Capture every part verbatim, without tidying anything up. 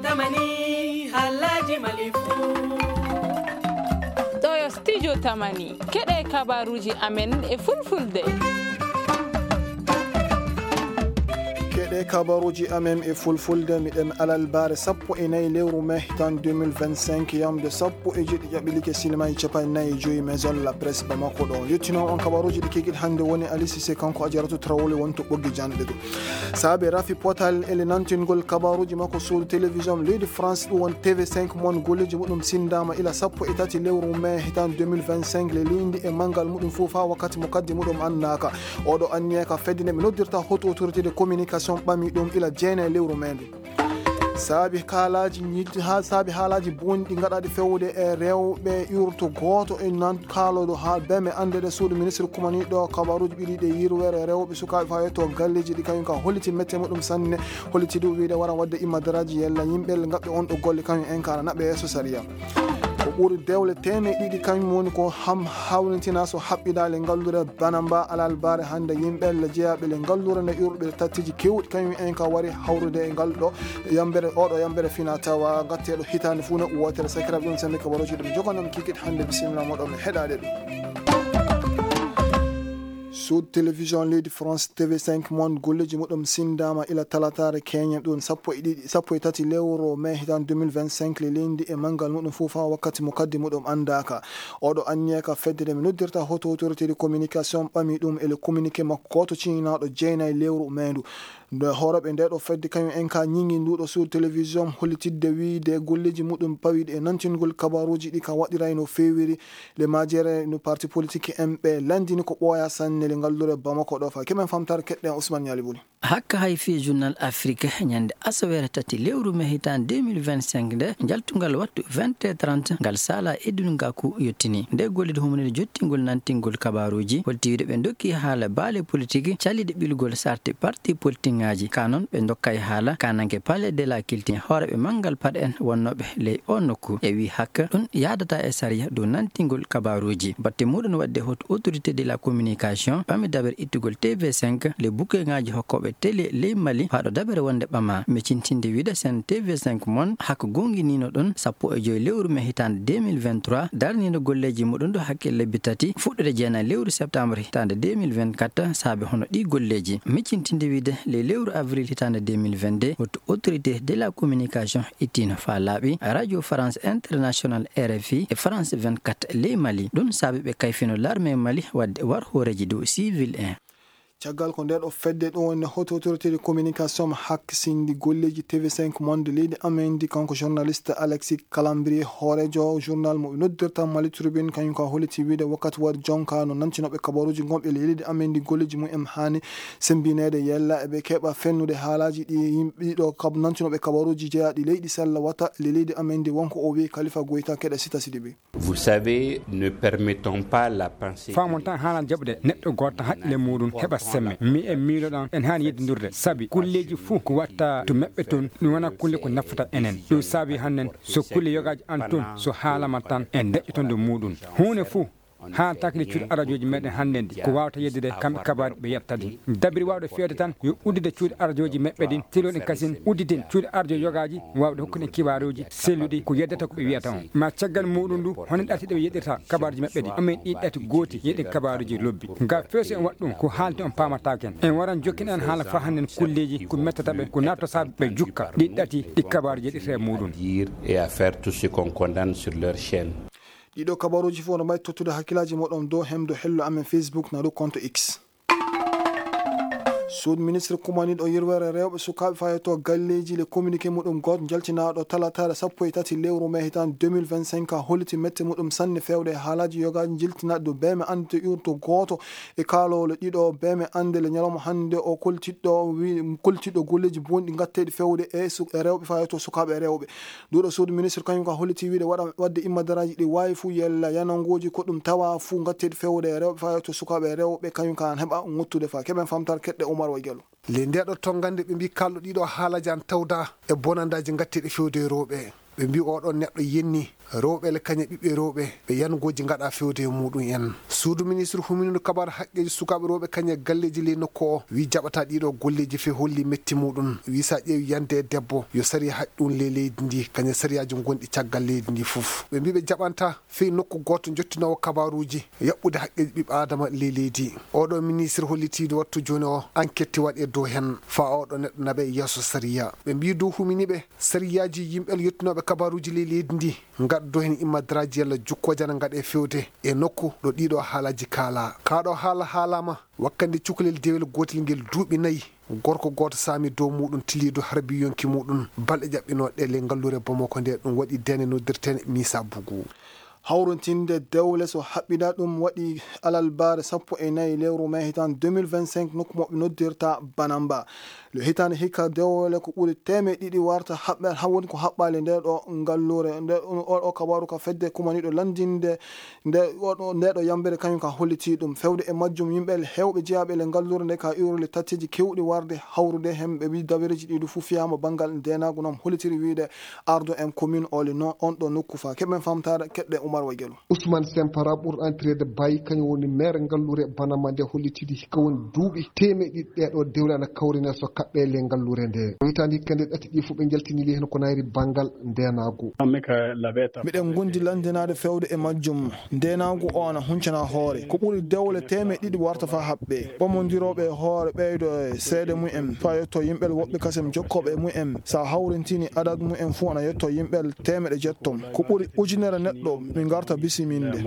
Tamani, halaji malifu. Ɗo yo studio Tamani. Keɗe kabaruji amen e fulfulde. Keɗe kabaruji amen e fulfulde, miɗen alalbaare sappo e nayi lewru mai hitan deux mille vingt-cinq, yamde sappo e jeɗɗi ƴaɓɓilike sinima e capanɗe nayi e joyi Maison la Presse Bamako ɗo. Yettino on kabaruji ɗi kikit hannde woni Ali Cissé, kanko Ajaratu Traoré woni to ɓoggi janɗe ɗo. Saabe rafi potal ele nantingol kabaruji makko suudu télévision leydi France, ɗum won T V cinq mon, golleji muɗum sindama ila sappo e tati lewru mai hitan deux mille vingt-cinq, le lindi e mangal muɗum fof ha wakkati mo kaddi muɗum annaka. Oɗo anniya ka fedde nde mi noddirta haute autorité de communication ɓami ɗum ila jeenayi lewru mai ndu. Saabi haalaji ñit-, ha saabi haalaji bonɗi gaɗaɗi fewde e rewɓe yurto gooto e nan kaaloɗo ha beme ande ɗe suudu ministre kumaniɗo kabaruji ɓiɗi ɗe yirwere rewɓe sukaaɓe fa yetto galleji ɗi kañum ka holliti mette muɗum sanne, holliti ɗum wiide wara wadde imma daraaji yella yimɓe gaɓɓe on ɗo golle kañum en kala naɓɓe yeeso sariya. Ko ɓuri dewle teemeɗe ɗiɗi kañum woni ko ham hawnitina so haɓɓidaale ngallure bana mba alal bare hannde yimɓe le jeyaaɓe le ngallure nde yurɓe tattiji kewɗi kañum en ka wari hawrude e ngal ɗo yambere, oɗo yambere fina tawa gatteɗo hitaande fuu no wootere. Sakiraaɓe ɗum sambi kabaruji ɗum jogonam kikit hannde, bisimilla moɗon mi heɗaade ɗum. Sud télévision leydi France T V cinq mon golleji muɗum sindama ila talatare keñe ɗum sappo e ɗiɗi, sappo e tati lewru mai hitan deux mille vingt-cinq le leydi e mangal muɗum fof ha wakkati mo kaddi muɗum andaka. Oɗo anniya ka fedde nde mi noddirta haute autorité de communication ɓami ɗum e le communiqué makko gooto ciñinaɗo jeenayi lewru mai ndu. Nde hooreɓe nde ɗo fedde kañum en ka ñiŋi nduɗo suudu télévision hollitidde wiide golleji muɗum pawiɗi e nantingol kabaruji ɗi ka waɗiray no feewiri le majere no parti politique en ɓe landini ko ɓooya sanne le ngallure Bamako ɗo fa. Kemen famtare keɗɗen Ousmane Ñali Buli. Hakka hay fii Journal Afrique ñande asaweere tati lewru mai hitan deux mille vingt-cinq nde jaltungal wattu vingt heures trente ngal sala Edun Gaku yottini. Nde gollide humnide jottingol nantingol kabaruji holti wiide ɓe dokki haala baale politique calliɗe ɓilgol sarti parti politique ngaji. Ka non ɓe dokkay haala kananke Palais de la Culture hooreɓe mangal paɗe en wonnoɓe ley o nokku. E wi hakka ɗum yaadata e sariya dow nantingol kabaruji. Batte muɗum wadde haute autorité de la communication ɓami dabere ittugol T V cinq le bukeŋaaji hokkooɓe télé ley Mali faaɗo dabere wonde ɓama. Micintinde wiide sen T V cinq mon hak goonginino ɗon sappo e joyi lewru mai hitaande deux mille vingt-trois, darnino golleeji muɗum ɗo hakke lebbi tati fuɗɗude jeenayi lewru septembre hitaande deux mille vingt-quatre saabe hono ɗi golleeji. Micintinde wiide ley lewru avril hitaande deux mille vingt-deux, haute autorité de la communication ittino faa laaɓi Radio France International, R F I, e France vingt-quatre ley Mali. Ɗum saabi ɓe kayfino l'armée Mali wadde war hooreeji dow civil en. Caggal ko nde ɗo fedde ɗum woni haute autorité de communication hakkisindi golleeji T V cinq monde leydi amen ndi, kanko journaliste Alexis Calambrier, hooreejo journal mo ɓe noddirta Mali Tribune, kañum ka holliti wiide wakkati waɗi jonka no nantinoɓe kabaruji gonɓe leydi amen ndi golleeji mum en haani sembineede yella eɓe keɓa fennude haalaji ɗi yimɓe ɗiɗo kab-, nantinoɓe kabaruji jeyaaɗi leydi sella wata le leydi amen ndi, wonko o wi Khalifa Goïta keɗe Sita Sidibé. Vous savez, ne permettons pas la pensée. Faamon tan haala jaɓude neɗɗo gooto tan haqqille muɗum heɓa semme. Mi en miiloɗan en haani yeddindirde. Sabi kulleeji fuu ko watta to meɓɓe toon, ɗum wona kulle ko nafata enen. Ɗum saabi hannden so kulle yogaaji an toon, so haalama tan en deƴƴotondo muɗum. Huunde fuu haaltaaki nde cuuɗi arajooji meɗen hannden ɗi. Ko waawata yeddude kamɓe kabaari ɓe yetta ɗi. Dabiri waawde feewde tan yo uddude cuuɗi arajooji meɓɓe ɗin, tiloo ɗen kasin udditin cuuɗi arajooji yogaaji waawde hokkude en kibaaruuji selluɗi ko yeddata ko ɓe wiyata on. Ma caggal muɗum ndu, hono ɗaati ɗe ɓe yeɗirta kabaaruuji maɓɓe ɗi. Amen ɗi ɗaati gooti yeɗen kabaaruuji lobbi. Nga feeso en waɗ ɗum, ko haalti on paamataake en. En waran jokkina en haala faa hannden kulleeji ko mettata ɓe, ko nattata ɓe jukka. Ɗi ɗaati ɗi kabaaruuji yeɗirta e muɗum. Dire et à faire tout ce qu'on condamne sur leur chaîne. Ɗiɗo kabaaruuji fof no mbayi tottude hakkillaaji moɗon dow hemdo hello amen Facebook na dow compte X. Suudu ministre kumaniiɗo yirwere rewɓe sukaaɓe fayetoo galleeji le communiqué muɗum gooto jaltinaaɗo talataare sappo e tati lewru mai hitaande deux mille vingt-cinq a holliti mette muɗum sanne feewde e haalaaji yogaaji jiltinaaɗi dow beeme annde yurto gooto e kaalowle ɗiɗo beeme annde le ñalawma hannde o koltiɗɗo wi-, koltiɗɗo golleeji bonɗi ngatteeɗi feewde e su-, e rewɓe fayetoo sukaaɓe e rewɓe. Nduɗo suudu ministre kañum ka holliti wiide waɗa, wadde immadaraaji ɗi waawi fuu yella yanangooji ko ɗum tawa fuu ngatteeɗi feewde e rewɓe fayetoo sukaaɓe e rewɓe kañum ka an heɓa ngottude fa keɓen famtaare keɗɗe Oumar Wa Diallo. Ley ndeeɗo tonngande ɓe mbii kalɗo ɗiɗo haalaji an tawda e bonandaaji ngatteeɗi fewde e rewɓe. Ɓe mbii oɗo neɗɗo yenni rewɓe le kañe ɓiɓɓe rewɓe ɓe yangooji ngaɗa fewde e muɗum en. Suudu ministre humindu kabar haqqeeji sukaaɓe rewɓe kañe galleeji ley nokku o wi jaɓata ɗiɗo golleeji fe holli metti muɗum. Wi sa ƴeewi yande e debbo yo sariya haɗ ɗum ley leydi ndi kañe sariyaaji gonɗi caggal leydi ndi fof. Ɓe mbii ɓe jaɓanta fey nokku gooto jottinoowo kabaaruuji yaɓɓude haqqeeji ɓiɓɓe aadama ley leydi. Oɗo ministre hollitiido wattu jooni o enquête waɗe dow hen fa oɗo neɗɗo naɓe yeeso sariya. Ɓe mbii dow huminiiɓe sariyaaji yimɓe yettinooɓe kabaaruuji ley leydi ndi ngaɗa dow hen immadaraaji yalla jukkooje ana ngaɗe fewde e nokku ɗo ɗiɗo haalaaji kaala. Kaa ɗo haala haalaama wakkande cukalel dewel gootel ngel duuɓi nayi. Gorko gooto saami dow muɗum tiliido harbi yonki muɗum balɗe ƴaɓɓinooɗe ley ngalluure Bamako nde ɗum waɗi dene noddirteene Misa Bugu. Hawrintinde dewle so haɓɓiɗa ɗum waɗi alalbaare sappo e nayi lewru mai hitan deux mille vingt-cinq nokku mo ɓe noddirta Banamba. Le hitaande hikka dewle ko ɓuri teemeɗe ɗiɗi warta haɓɓe, ha woni ko haɓɓaali nde ɗo ngalluure. Nde o, o kabaru ka fedde kumaniɗo landinde nde o ɗo, nde ɗo yambere kañum ka holliti ɗum. Fewde e majjum yimɓe hewɓe jeyaaɓe le ngalluure nde ka iwrule tatteji kewɗi warde hawrude hen ɓe wi dabereji ɗiɗi fu fiyama bangal ndenagu nam hollitiri wiide ardo en commune oli no on ɗo nokku fa keɓen famtare keɗɗe Umar Wagelu. Ousmane Sempara ɓurɗo antirede Bayi kañum woni maire ngalluure Banama nde hollitidi hikka woni duuɓi teemeɗe ɗiɗi ɗeɗo dewle ana kawrine so kaɓɓe le ngalluure nde. Hitaande hikka nde ɗati ɗi fof ɓe njaltini li heen ko nayri bangal ndenagu. Miɗen gondi landinaade fewde e majjum. Ndenagu o ana huncana hoore. Ko ɓuri dewle teemeɗe ɗiɗi warta fa haɓɓe. Ɓamondirooɓe e hoore ɓeydo e seede mumen fa yetto yimɓe woɓɓe kasem jokkooɓe e mumen. Sa hawrintini adad mumen fu ana yetto yimɓe teemeɗe jetto. Ko ɓuri ujunere neɗɗo mi ngarta bisiminde.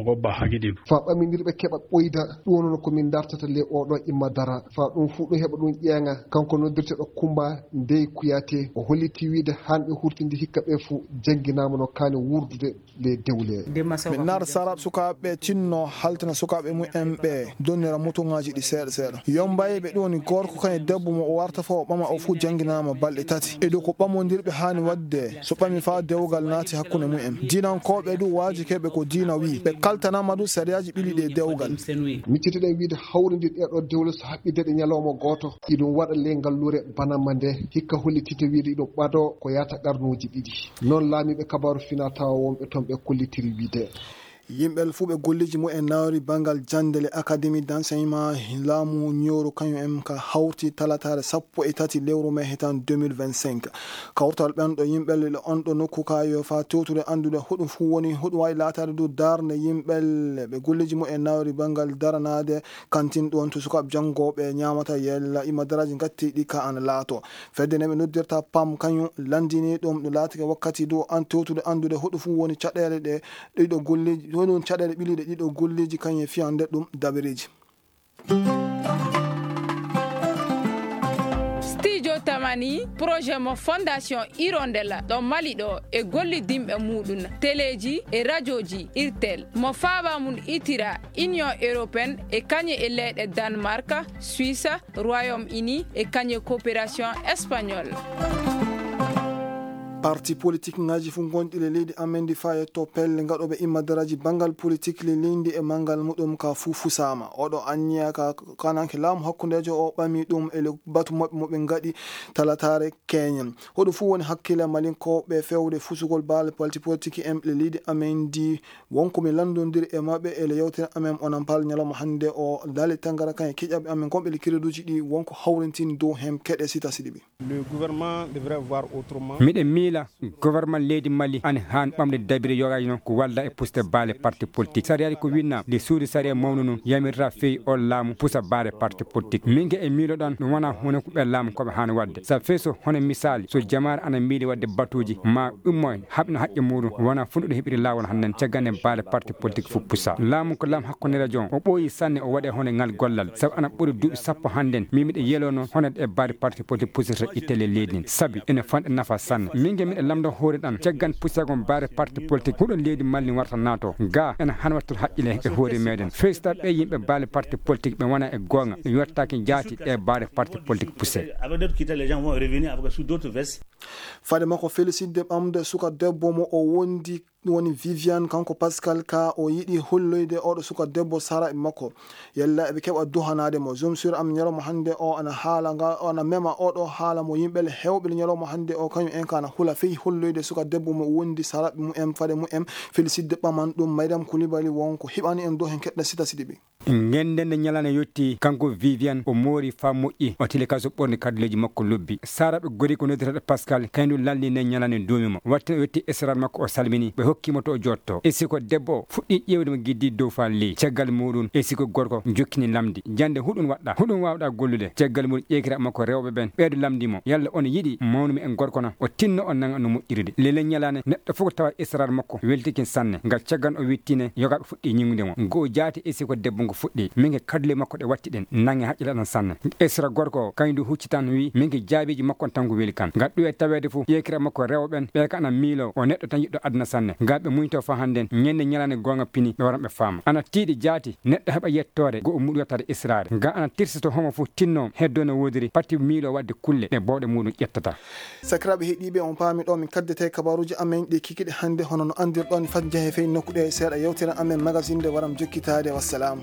Fa ɓamindirɓe keɓa ɓoyda ɗum noon ko min dartata le oɗo imma dara. Fa ɗum fu ɗum heɓa ɗum ƴeeŋa. Kanko noddirteɗo Kumba Ndey Kuyate o holliti wiide han ɓe hurtindi hikka ɓe fu jannginaama no kaani wurdude le dewle. Min nar sarat sukaaɓe tinno haltina sukaaɓe mumen ɓe donnira mutuŋaaji ɗi seeɗa seeɗa. Yombaye ɓe ɗum woni gorko kañum debbo mo o warta fa o ɓama o fu jannginaama balɗe tati. E ɗo ko ɓamondirɓe haani waɗde so ɓami fa dewgal naati hakkunde mumen. Diinankooɓe du waajikeɓe ko diina wi. Ɓe kaltanaama du sariyaaji ɓili ɗe dewgal. Miccitiɗen wiide hawrinde ɗeɗo dewle so haɓɓideɗe ñalawma gooto. Iɗum waɗa le ngalluure Banama nde hikka hollitite wiide iɗum ɓado ko yaata qarnuuji ɗiɗi. Noon laamiiɓe kabaaru finaa tawa wonɓe toon ɓe kollitiri wiide. Yimɓe fuu ɓe golleeji mumen nawri banngal jannde le Académie d'enseignement laamu ñooru kañum en ka hawti talataare sappo e tati lewru mai hitan deux mille vingt-cinq. Kawtal ɓen ɗo yimɓe le on ɗo nokku ka yo fa tewtude anndude hoɗum fuu woni hoɗum wawi laataade du darnde yimɓe le ɓe golleeji mumen nawri banngal daranaade kantin ɗon to sukaaɓe janngooɓe ñaamata yella imadaraaji ngatti ɗi ka ana laato. Fedde ne ɓe noddirta pam kañum lanndini ɗum ɗo laatike wakkati du an tewtude anndude hoɗo fuu woni caɗeele ɗe ɗiɗo golleeji, hoɗum caɗeele ɓiliiɗe ɗiɗo golleeji kañum e fiyande ɗum dabereeji. Studio Tamani, projet mo Fondation Hirondelle ɗo Mali ɗo e gollidinɓe muɗum, teleeji e rajooji Irtel, mo faaba mum itira Union Européenne e kañe e leyɗe Danemark, Suisse, Royaume-Uni e kañe coopération espagnole. Parti politique ngaji fu gonɗi le leydi amen ndi faye to pelle ngaɗoɓe imma daraji bangal politique le leydi e mangal muɗum ka fu fusama. Oɗo anniya ka kananke laamu hakkundejo o ɓami ɗum e le batu maɓɓe mo ɓe ngaɗi talatare keñen. Hoɗum fu woni hakkille malinkoɓe fewde fusugol baale parti politique en le leydi amen ndi. Wonko mi lanndondiri e maɓɓe e le yewtere amen onon pal ñalawma hannde o Dali Tangara kan e kiƴaɓe amen gonɓe le kireduji ɗi wonko hawrintini dow hen keɗe sita siɗi ɓe. Le gouvernement devrait voir autrement. Miɗen miila gouvernement leydi Mali ani haan ɓamde dabire yogaji noon ko walla e pusde baale parti politique. Sariyaaji ko winna nde suudu sariya mawnu noon yamirta feewi on laamu pusa baale parti politique. Min ge e miiloɗon ɗum wona huunde ko ɓe laamu ko ɓe haan waɗde. Sa feeso hono misaali so jamaare ana miili waɗde batuuji ma ummo haɓna haqqe muɗum wona funɗuɗo heɓiri laawol hannden caggal nde baale parti politique fof pusa. Laamu ko laamu hakkunderejo on o ɓooyi sanne o waɗe hono ngal gollal sabu ana ɓuri duuɓi sappo hannden min miɗa yelo noon hono e baale parti politique pusirta ittele leydi ndin sabi ene fanɗa nafa sanne. Min ge miɗa lamndo hoore ɗan caggal pusagon baale parti politique huɗo leydi Mali warta naato ga ene han wattude haqqile e hoore meɗen festa ɓe yimɓe baale parti politique ɓe wona e goonga ɓe yottaaki jaati ɗe baale parti politique puse. Avec d'autres critères les gens vont revenir avec sous d'autres vestes. Fade makko felisitde ɓamde suka debbo mo o wondi Ɗum woni Viviane, kanko Pascal ka o yiɗi holloyde oɗo suka debbo saraɓe makko. Yalla eɓe keɓa duhanaade mo. Zone Sud am ñalawma hannde o ana haala nga, o ana mema oɗo haala mo yimɓe le hewɓe le ñalawma hannde o, kañum en ka ana hula fey holloyde suka debbo mo wondi saraɓe mum en, fade mum en, Félicité ɓaman ɗum, Maydam Koulibaly won ko hiɓani en dow hen keɗɗa Sita Sidibé. Ngenden nde ñalaande yotti, kanko Viviane o moori faa moƴƴi, o tili ka so ɓorni kadduleeji makko lobbi. Saraɓe gori ko noddirteɗo Pascal, kañum lalni nde ñalaande duumi mo. Watte o yetti esrar makko o salmini, ɓe hokki mo to o jotto. E siko debbo o fuɗɗi ƴeewde mo giddi dow faa ley. Caggal muɗum, e siko gorko jokkini lamdi. Jannde huɗum waɗɗa, huɗum waawɗa gollude. Caggal muɗum ƴeekira makko rewɓe ɓen, ɓeeɗo lamndi mo. Yalla on yiɗi mawnumi en gorko na? O tinno o nanga no moƴƴirde. Lele ñalaande neɗɗo fof ko tawa esrar makko weltikin sanne. Ngal caggal o wittine, yogaaɓe fuɗɗi ñiŋude mo. Ngo jaati e siko debbo ngo fuɗɗi. Min ke kadule makko ɗe watti ɗen. Nange haqqille ɗan sanne. Esra gorko o, kañum du hucci tan wi, min ke jaabiiji makko on tan ko weli kan. Ngal ɗuwe taweede fof, ƴeekira makko rewɓe ɓen, ɓe ka ana miilo, o neɗɗo tan yiɗɗo aduna sanne. Ngal ɓe muñto fa hannden, ñande ñalaande goonga pini, ɓe waran ɓe faama. Ana tiiɗi jaati, neɗɗo heɓa yettoore, go o muɗu yettaade israare. Ngal ana tirsito homo fof tinno, heddo no woodiri, pati miilo waɗde kulle, ɗe bawɗe muɗum ƴettata. Sakiraaɓe heɗiiɓe, on paami ɗo min kaddete kabaruuji amen ɗi kikiɗe hannde, hono no anndirɗon, fat njahe fey nokku ɗe seeɗa yewtere amen magazine nde waram jokkitaade. Wassalaamu.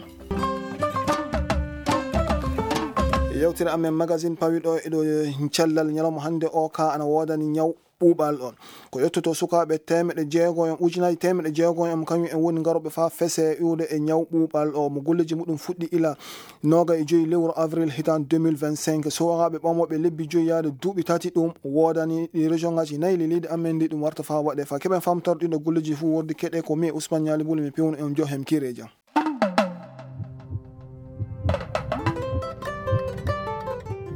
Yewtere amen magazine pawi ɗo e ɗo cellal ñalawma hannde o ka ana woodani ñaw ɓuuɓal on. Ko yettoto sukaaɓe teemeɗe jeego en, ujunaaji teemeɗe jeego en, kañum en woni ngarooɓe faa fese iwde e ñaw ɓuuɓal o, mo golleeji muɗum fuɗɗi ila nooga e joyi lewru avril hitaan deux mille vingt-cinq. Sukaaɓe ɓamooɓe lebbi joyi yaade duuɓi tati ɗum woodani ɗi région ngaji nayi le leydi amen ndi ɗum warta faa waɗe. Faa keɓen famtorde ɗiɗo golleeji fof wordi keɗe ko mi e Ousmane Ñaali Buli mi pewno en jo hem kireeja.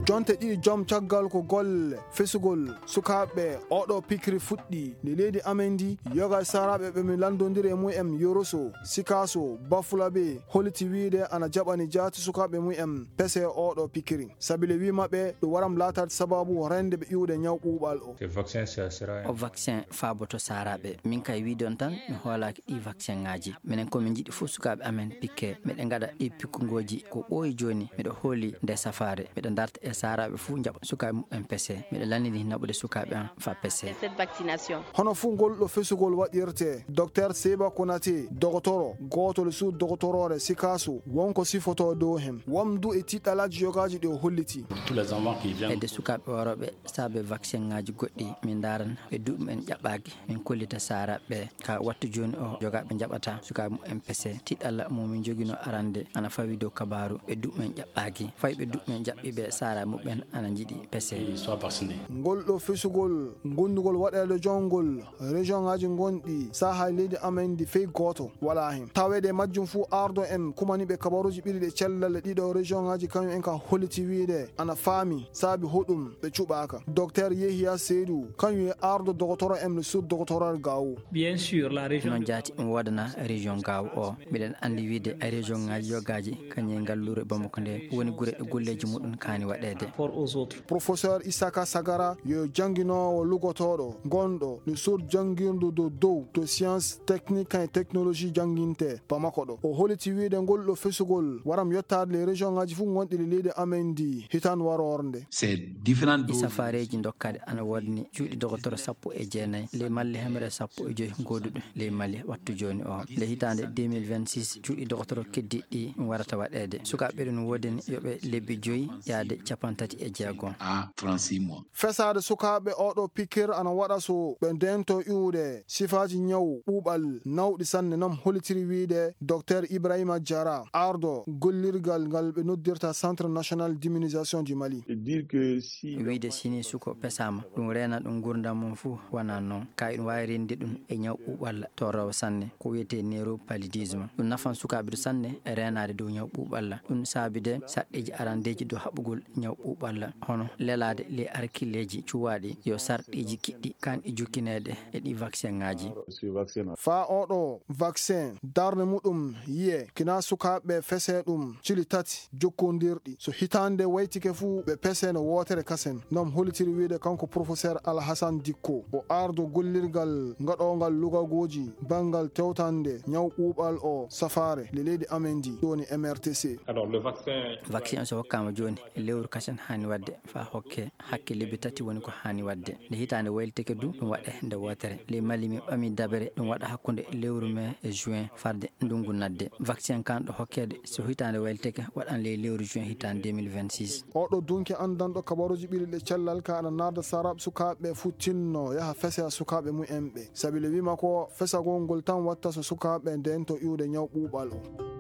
Jonte ɗiɗi jom caggal ko golle fesugol sukaaɓe oɗo pikiri fuɗɗi nde leydi amen ndi, yoga e saraaɓe ɓe mi lanndondiri e mum en Yoroso, Sikaso, Bafulabe, holiti wiide ana jaɓani jaati sukaaɓe mum en pese oɗo pikiri. Sabi le wi maɓɓe ɗum waram laataade sababu rende ɓe iwde ñaw ɓuuɓal o. Ce vaccin, ça sera un O vaccin faaboto saaraaɓe. Min kay wiide on tan, mi hoolaaki ɗii vaccin ŋaaji. Minen ko min njiɗi fof sukaaɓe amen pikke. Miɗen ngaɗa ɗii pikkugooji ko ɓooyi jooni. Miɗo hooli nde safaare. Miɗo darta e saaraaɓe fof njaɓa sukaaɓe muɓɓen pese. Miɗo lannini naɓude sukaaɓe am faa pese. Cette vaccination. Hono fuu ngol ɗo fesugol waɗirte, Docteur Seba Konate, dogotoro, gootol suud dogotoroore Sikaso, won ko sifotoo dow hen. Wamdu e tiɗɗalaaji yogaaji ɗi o holliti. Tous les enfants qui viennent Hedde sukaaɓe worooɓe saabe vaccin ŋaaji goɗɗi, min ndaaran ɓe duuɓi mumen ƴaɓɓaaki, min kollita saaraaɓe ɓe. Ka wattu jooni o, jogaaɓe njaɓata sukaaɓe mumen pese. Tiɗɗalla mo min njoginoo arande ana fawi dow kabaaru ɓe duuɓi mumen ƴaɓɓaaki. Fay ɓe duuɓi mumen jaɓɓiiɓe saaraaɓe muɓɓen ana njiɗi pese. Ils soient vaccinés. Ngol ɗo fesugol, gondugol waɗeede jongol, région ŋaaji gonɗi saaha leydi amen ndi fey gooto walaa hen. Taweede e majjum fuu ardo en kumaniiɓe kabaruuji ɓiɗi ɗe cellal e ɗiɗo région ŋaaji kañum en ka holliti wiide ana faami saabi hoɗum ɓe cuɓaaka. Docteur Yehiya Seydou, kañum e ardo dogotoro en le sud dogotoro Gaawo. Bien sûr, la région Noon de jaati ɗum woodana région Gaawo o. Miɗen anndi wiide région ŋaaji yogaaji kañum e ngalluure Bamako nde woni gure ɗe golleeji muɗum kaani waɗeede. Rapport aux autres. Professeur Isaka Sagara yo jannginoowo lugotooɗo gonɗo no sod janngirdu dow dow to science technique et technologie jannginte Bamako ɗo. O holiti wiide ngol ɗo fesugol waram yottaade le région ŋaaji fof gonɗi le leydi amen ndi hitaan waroore nde. Ces différentes E doses safareeji dokkaɗe ana woodani cuuɗi dogotoro sappo e jeenayi, ley Mali hemre sappo e joyi gooduɗo ley Mali wattu jooni o. Nde hitaande deux mille vingt-six, cuuɗi dogotoro keddiiɗi ɗi warata waɗeede. Sukaaɓe ɗum woodani yo ɓe lebbi joyi yaade capanɗe tati e jeego. À trente-six mois. Fesaade sukaaɓe oɗo pikir ana waɗa so ɓe ndento iwde sifaaji ñaw ɓuuɓal nawɗi sanne, nam hollitiri wiide Docteur Ibrahima Diarra, ardo gollirgal ngal ɓe noddirta Centre National d'Immunisation du Mali. Et dire que si Wiide si ni suko pesaama, ɗum reena ɗum nguurndam mum fuu, wonaa noon. Kaa iɗum waawi reenude ɗum e ñaw ɓuuɓalla torroowo sanne, ko wiyetee néropaludisme. Ɗum nafan sukaaɓe du sanne e reenaade dow ñaw ɓuuɓalla. Ɗum saabi de sarɗiiji arandeeji dow haɓugol ñaw ɓuuɓalla, hono lelaade ley arkilleeji cuwaaɗi yo sarɗiiji kiɗɗi kaan e jokkineede e ɗi vaccin ŋaaji. Faa oɗo vaccin, darnde muɗum yiye, kina sukaaɓe fese ɗum cili tati jokkondirɗi. So hitaande waytike fuu, ɓe pese no wootere kasen. Noon hollitiri wiide kanko Professeur Alhassane Dicko, o ardo gollirgal ngaɗoongal lugagooji banngal tewtande ñaw ɓuuɓal o safaare le leydi amen ndi, woni M R T C. Alors, le vaccin Vaccin o so hokkaama jooni e lewru kasen. Haani waɗde faa hokke hakke lebbi tati woni ko haani waɗde. Nde hitaande waylitike du, ɗum waɗe nde wootere. Ley Mali, min ɓami dabere ɗum waɗa hakkunde lewru mai e juin farde ndungu nadde. Vaccin kan ɗo hokkeede so hitaande waylitike waɗan ley lewru juin hitaande deux mille vingt-six. Oɗo dunki anndanɗo kabaruuji ɓilliɗe cellal ka ana narda sarab sukaaɓe futtinno yaha fesa sukaaɓe mumen ɓe. Sabi le wima ko fesagol ngol tan watta so sukaaɓe ndento iwde ñaw ɓuuɓal o.